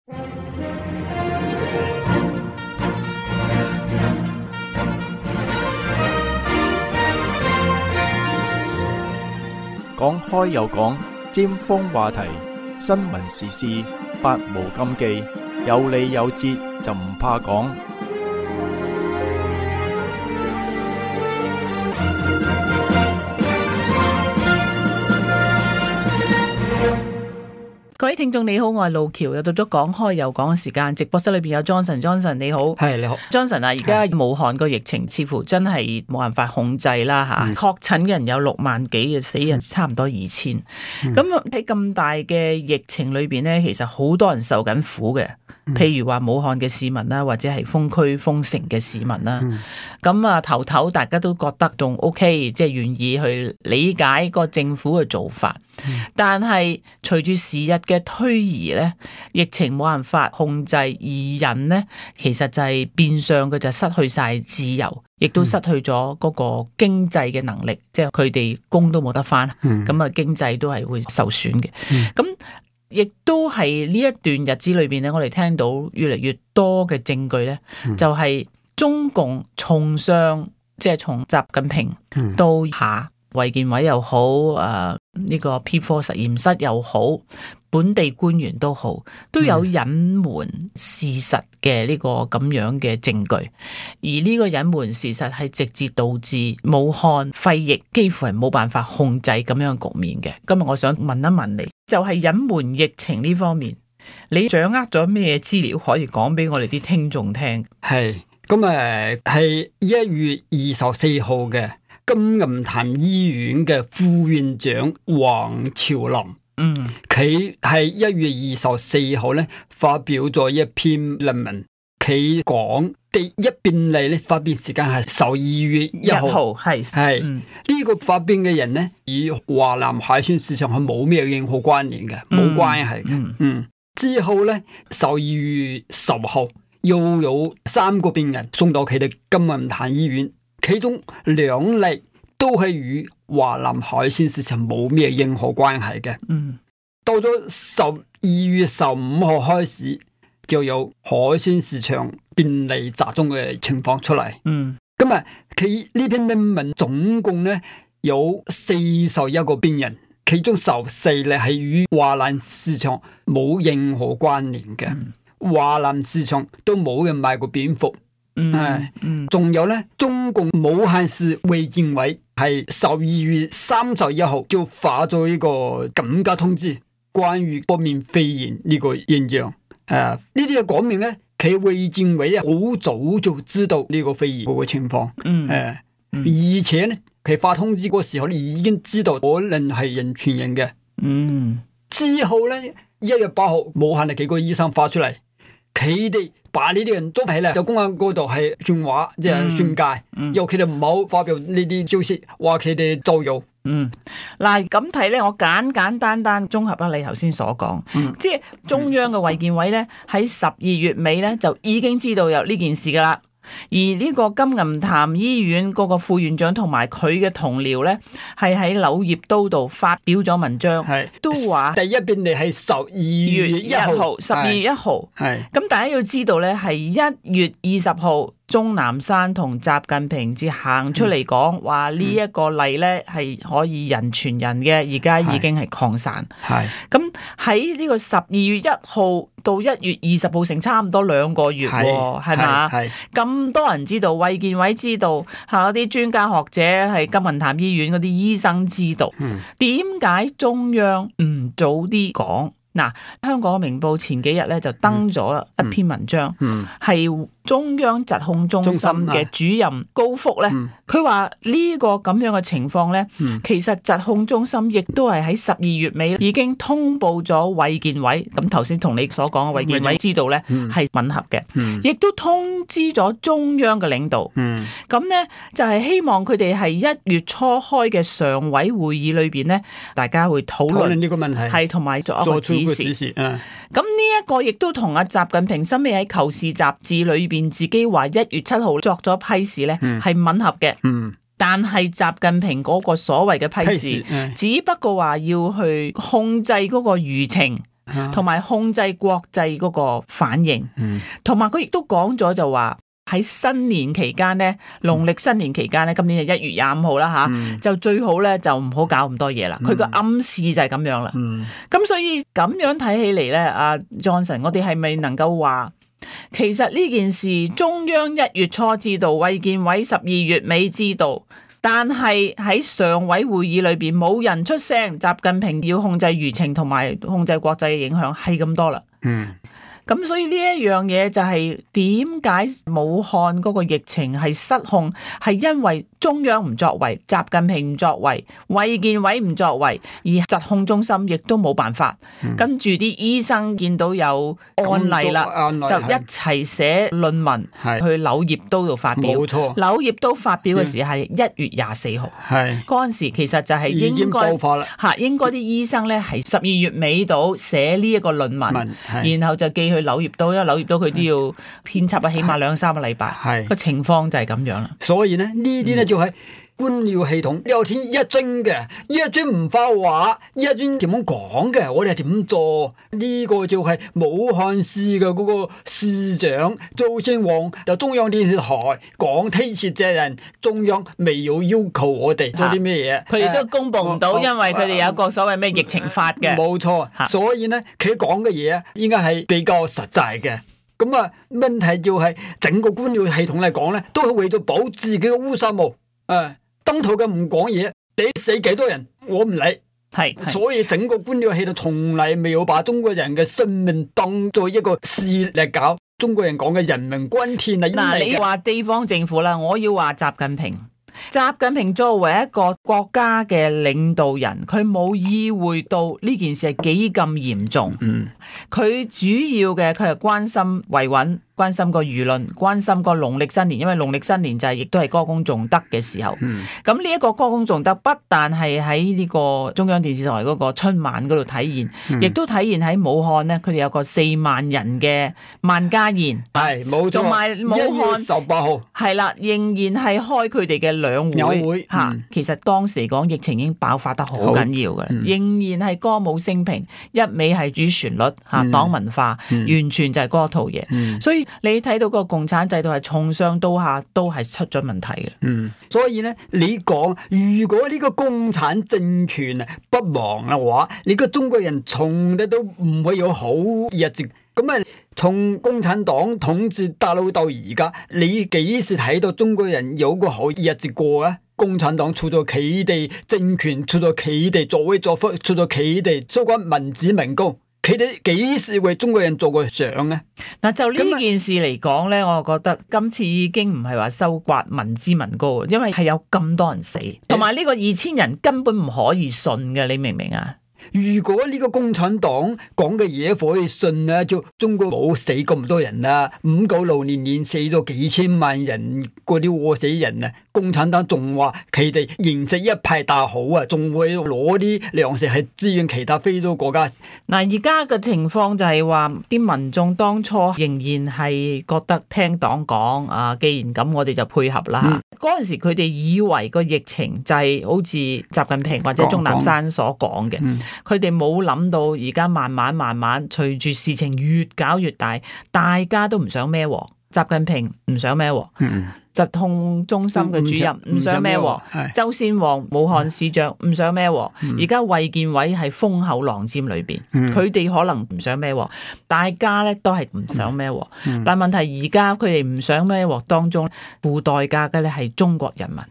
講開又講，尖鋒話題，新聞時事，百無禁忌，有理有節就唔怕講。各位聽眾你好，我係路橋，又到咗講開又講嘅時間。直播室裏邊有 Johnson 你好。係你好 Johnson 啊，而家武漢個疫情似乎真係冇辦法控制啦吓，確診嘅人有6萬幾嘅，死人差唔多2000。咁喺咁大嘅疫情裏邊呢，其實好多人受緊苦嘅，譬如話武漢嘅市民啦，或者係封區封城嘅市民啦。咁啊頭大家都覺得仲 OK， 即係願意去理解個政府嘅做法。但係隨住時日嘅推移咧，疫情冇辦法控制，而人咧其實就係變相嘅就失去晒自由，亦都失去咗嗰個經濟嘅能力，即係佢哋工都冇得返，咁啊經濟都係會受損嘅。咁亦都係呢一段日子裏邊咧，我哋聽到越嚟越多嘅證據咧，就係中共從上，即係從習近平到下，衛健委又好，呢個 P4 實驗室又好，本地官員都好，都有隱瞞事實嘅呢個咁樣嘅證據，而呢個隱瞞事實係直接導致武漢肺疫幾乎係冇辦法控制咁樣嘅局面嘅。今日我想問一問你，就係隱瞞疫情呢方面，你掌握咗咩資料可以講俾我哋啲聽眾聽？係咁係1月24號嘅。金銀潭醫院嘅副院長黃朝林，佢係1月24號咧發表咗一篇論文，佢講第一病例咧發病時間係12月1號，係呢個發病嘅人咧與華南海鮮市場係冇咩任何關聯嘅，冇關係嘅。之後咧12月10號又有3個病人送到佢哋金銀潭醫院。其中2例都係與華南海鮮市場冇咩任何關係嘅。到咗12月15號開始，就有海鮮市場病例集中嘅情況出嚟。咁啊，佢呢篇論文總共咧有41個病人，其中14例係與華南市場冇任何關聯嘅。華南市場都冇人買過蝙蝠。仲有咧，中共武漢市衛健委係12月31號就發咗一個緊急通知，關於北面肺炎呢個現象。呢啲就講明咧，佢衛健委好早就知道呢個肺炎嗰個情況。而且咧，佢發通知嗰時候，你已經知道可能係人傳人嘅。之後咧，1月8號，武漢嘅幾個醫生發出嚟，佢哋把呢啲人捉起嚟，就公安嗰度係傳話，即係宣介，由佢哋唔好發表呢啲消息，話佢哋造謠。嗱咁睇咧，我簡單綜合下你頭先所講，即係中央嘅衛健委咧喺12月尾咧就已經知道有呢件事噶啦。而呢個金銀潭醫院嗰個副院長同埋佢嘅同僚咧，係喺柳葉刀度發表咗文章，都話第一病例係12月1號，12月1號。咁大家要知道咧，係1月20號。鍾南山同習近平至行出嚟講話呢一個例咧係可以人傳人嘅，而家已經係擴散。咁喺呢個12月1號到1月20號成差唔多2個月，係嘛？咁多人知道，衛健委知道，嗰啲專家學者係金銀潭醫院嗰啲醫生知道，點解中央唔早啲講？嗱，香港明報前幾日咧就登咗一篇文章，係中央疾控中心嘅主任高福咧，佢話呢個咁樣嘅情況咧，其實疾控中心亦都係喺12月尾已經通報咗衛健委，咁頭先同你所講嘅衛健委知道咧係吻合嘅，亦都通知咗中央嘅領導，咁咧就係希望佢哋係1月初開嘅常委會議裏邊咧，大家會討論呢個問題，係同埋作一個指示。咁呢一個亦都同阿習近平深尾喺《求是》雜誌裏邊自己話1月7號作咗批示咧，係吻合嘅。但係習近平嗰個所謂嘅批示，只不過話要去控制嗰個輿情，同埋控制國際嗰個反應，同埋佢亦都講咗就話喺新年期間咧，農曆新年期間咧，今年係1月25號啦吓，就最好咧就唔好搞咁多嘢啦。佢個暗示就係咁樣啦。咁所以咁樣睇起嚟咧，阿 Johnson， 我哋係咪能夠話，其實呢件事中央1月初知道，衛健委12月尾知道，但係喺常委會議裏邊冇人出聲，習近平要控制輿情同埋控制國際嘅影響係咁多啦。咁所以呢一樣嘢就係點解武漢嗰個疫情係失控，係因為中央唔作為，習近平唔作為，衛健委唔作為，而疾控中心亦都冇辦法。跟住啲醫生見到有案例啦，就一齊寫論文去柳葉刀度發表。冇錯，柳葉刀發表嘅時係1月24號。係嗰陣時其實就係應該嚇，應該啲醫生咧係12月尾度寫呢一個論文，然後就寄去柳葉刀，因為柳葉刀佢都要編輯啊，起碼2-3個禮拜。個情況就係咁樣啦。所以呢啲咧就係官僚系統聊天一樽嘅，一樽唔發話，一樽點樣講嘅，我哋係點做？呢個就係武漢市嘅嗰個市長周先旺，就中央電視台講推卸責任，中央未有要求我哋做啲咩嘢，佢哋都公布唔到，因為佢哋有個所謂咩疫情法嘅。冇錯，所以呢，佢講嘅嘢應該係比較實在嘅。咁啊，問題就係整個官僚系統嚟講咧，都係為咗保自己嘅烏紗帽。登台嘅唔講嘢，你死幾多人我唔理。所以整個官僚系統從來未有把中國人嘅生命當作一個事嚟搞。中國人講嘅人命關天啊！嗱，你話地方政府啦，我要話習近平。習近平作為一個國家嘅領導人，佢冇意會到呢件事係幾咁嚴重。佢主要嘅佢係關心維穩，關心個輿論，關心個農曆新年，因為農曆新年就係亦都係歌功頌德嘅時候。咁呢一個歌功頌德不但係喺呢個中央電視台嗰個春晚嗰度體現，亦都體現喺武漢呢，佢哋有個4萬人嘅萬家宴。係冇錯，同埋武漢1月18號係啦，仍然係開佢哋嘅兩會嚇。其實當時嚟講疫情已經爆發得好緊要嘅，仍然係歌舞升平，一味係主旋律嚇，黨文化，完全就係嗰套嘢。所以你睇到個共產制度係從上到下都係出咗問題嘅。所以咧，你講如果呢個共產政權啊不亡嘅話，你個中國人從嚟都唔會有好日子。咁啊，從共產黨統治大陸到而家，你幾時睇到中國人有個好日子過啊？共產黨出咗佢哋政權，出咗佢哋作威作福，出咗佢哋相關民脂民膏。佢哋幾時為中國人做過相呢？嗱，就呢件事嚟講咧，我覺得今次已經唔係話收刮民脂民膏，因為係有咁多人死，同埋呢個2000人根本唔可以信嘅，你明唔明啊？如果呢個共產黨講嘅嘢可以信啊，就中國冇死咁多人啦，596年死咗幾千萬人，嗰啲餓死人啊！共產黨仲話佢哋形勢一派大好啊，仲會攞啲糧食去支援其他非洲國家。嗱，而家嘅情況就係話，啲民眾當初仍然係覺得聽黨講啊，既然咁，我哋就配合啦。嗰陣時佢哋以為個疫情就係好似習近平或者鍾南山所講嘅，佢哋冇諗到而家慢慢隨住事情越搞越大，大家都唔想孭鑊。習近平唔想孭鑊，疾控中心嘅主任唔想孭鑊，周先旺武漢市長唔想孭鑊，而家衛健委係風口浪尖裏邊，佢哋可能唔想孭鑊，大家咧都係唔想孭鑊，但問題而家佢哋唔想孭鑊當中付代價嘅咧係中國人民。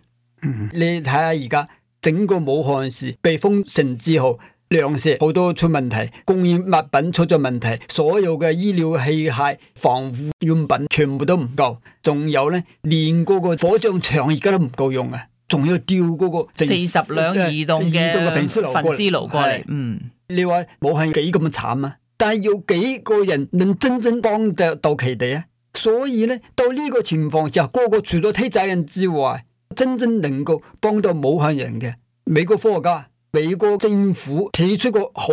你睇下而家整個武漢市被封城之後，糧食好多出問題，供應物品出咗問題，所有嘅醫療器械、防護用品全部都唔夠，仲有咧，連嗰個火葬場而家都唔夠用啊！仲要調嗰個40輛移動嘅焚屍爐過嚟。你話武漢幾咁慘啊？但係有幾個人能真正幫得到佢哋啊？所以咧，到呢個情況下，個個除咗推責任之外，真正能夠幫到武漢人嘅美國科學家。美國政府提出過好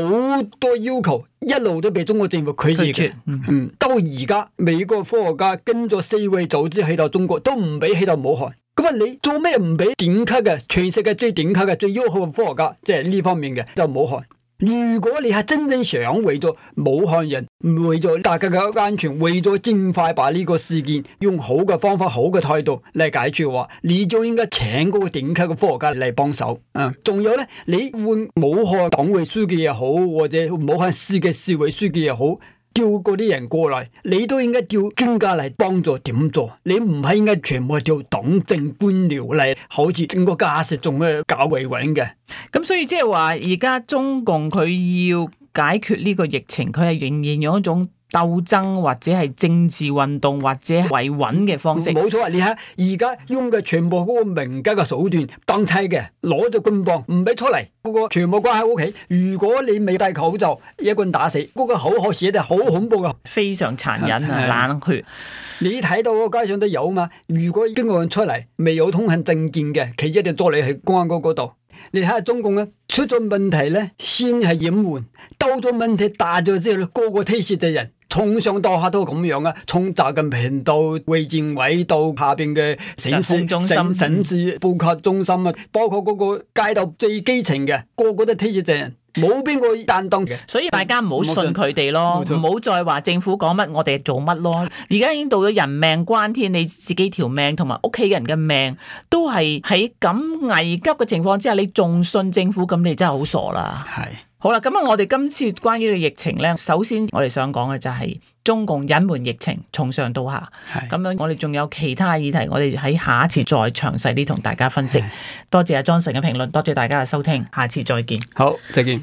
多要求，一路都被中國政府拒絕嘅。到而家美國科學家跟咗世衛組織去到中國，都唔俾去到武漢。咁啊，你做咩唔俾頂級嘅全世界最頂級嘅最優秀嘅科學家，即係呢方面嘅到武漢？如果你係真正想為咗武漢人，為咗大家嘅安全，為咗盡快把呢個事件用好嘅方法、好嘅態度嚟解決嘅話，你就應該請嗰個頂級嘅科學家嚟幫手。仲有咧，你換武漢黨委書記也好，或者武漢市嘅市委書記也好，叫嗰啲人過嚟，你都應該叫專家嚟幫助點做。你唔係應該全部叫黨政官僚嚟，好似整個架勢仲嘅搞維穩嘅。咁所以即係話，而家中共佢要解決呢個疫情，佢係仍然用一種鬥爭或者係政治運動或者維穩嘅方式。冇錯啊！你睇而家用嘅全部嗰個民間嘅手段，當差嘅攞咗棍棒唔俾出嚟，嗰個全部關喺屋企。如果你未戴口罩，一棍打死，嗰個口號寫得好恐怖噶，非常殘忍啊，冷血。你睇到個街上都有嘛？如果邊個人出嚟未有通行證件嘅，佢一定捉你去公安局嗰度。你睇下中共咧，出咗問題咧，先係隱瞞，到咗問題大咗之後，個個推卸責任。從上到下都咁樣啊，從習近平到衛健委到下邊嘅省市報告中心啊，包括嗰個街道最基層嘅，個個都推卸責任，冇邊個擔當嘅。所以大家唔好信佢哋咯，唔好再話政府講乜我哋做乜咯。而家已經到咗人命關天，你自己條命同埋屋企人嘅命都係喺咁危急嘅情況之下，你仲信政府，咁你真係好傻啦。係。好啦，咁啊，我哋今次關於嘅疫情咧，首先我哋想講嘅就係中共隱瞞疫情，從上到下。咁樣我哋仲有其他議題，我哋喺下一次再詳細啲同大家分析。多謝阿 Johnson 嘅評論，多謝大家嘅收聽，下次再見。好，再見。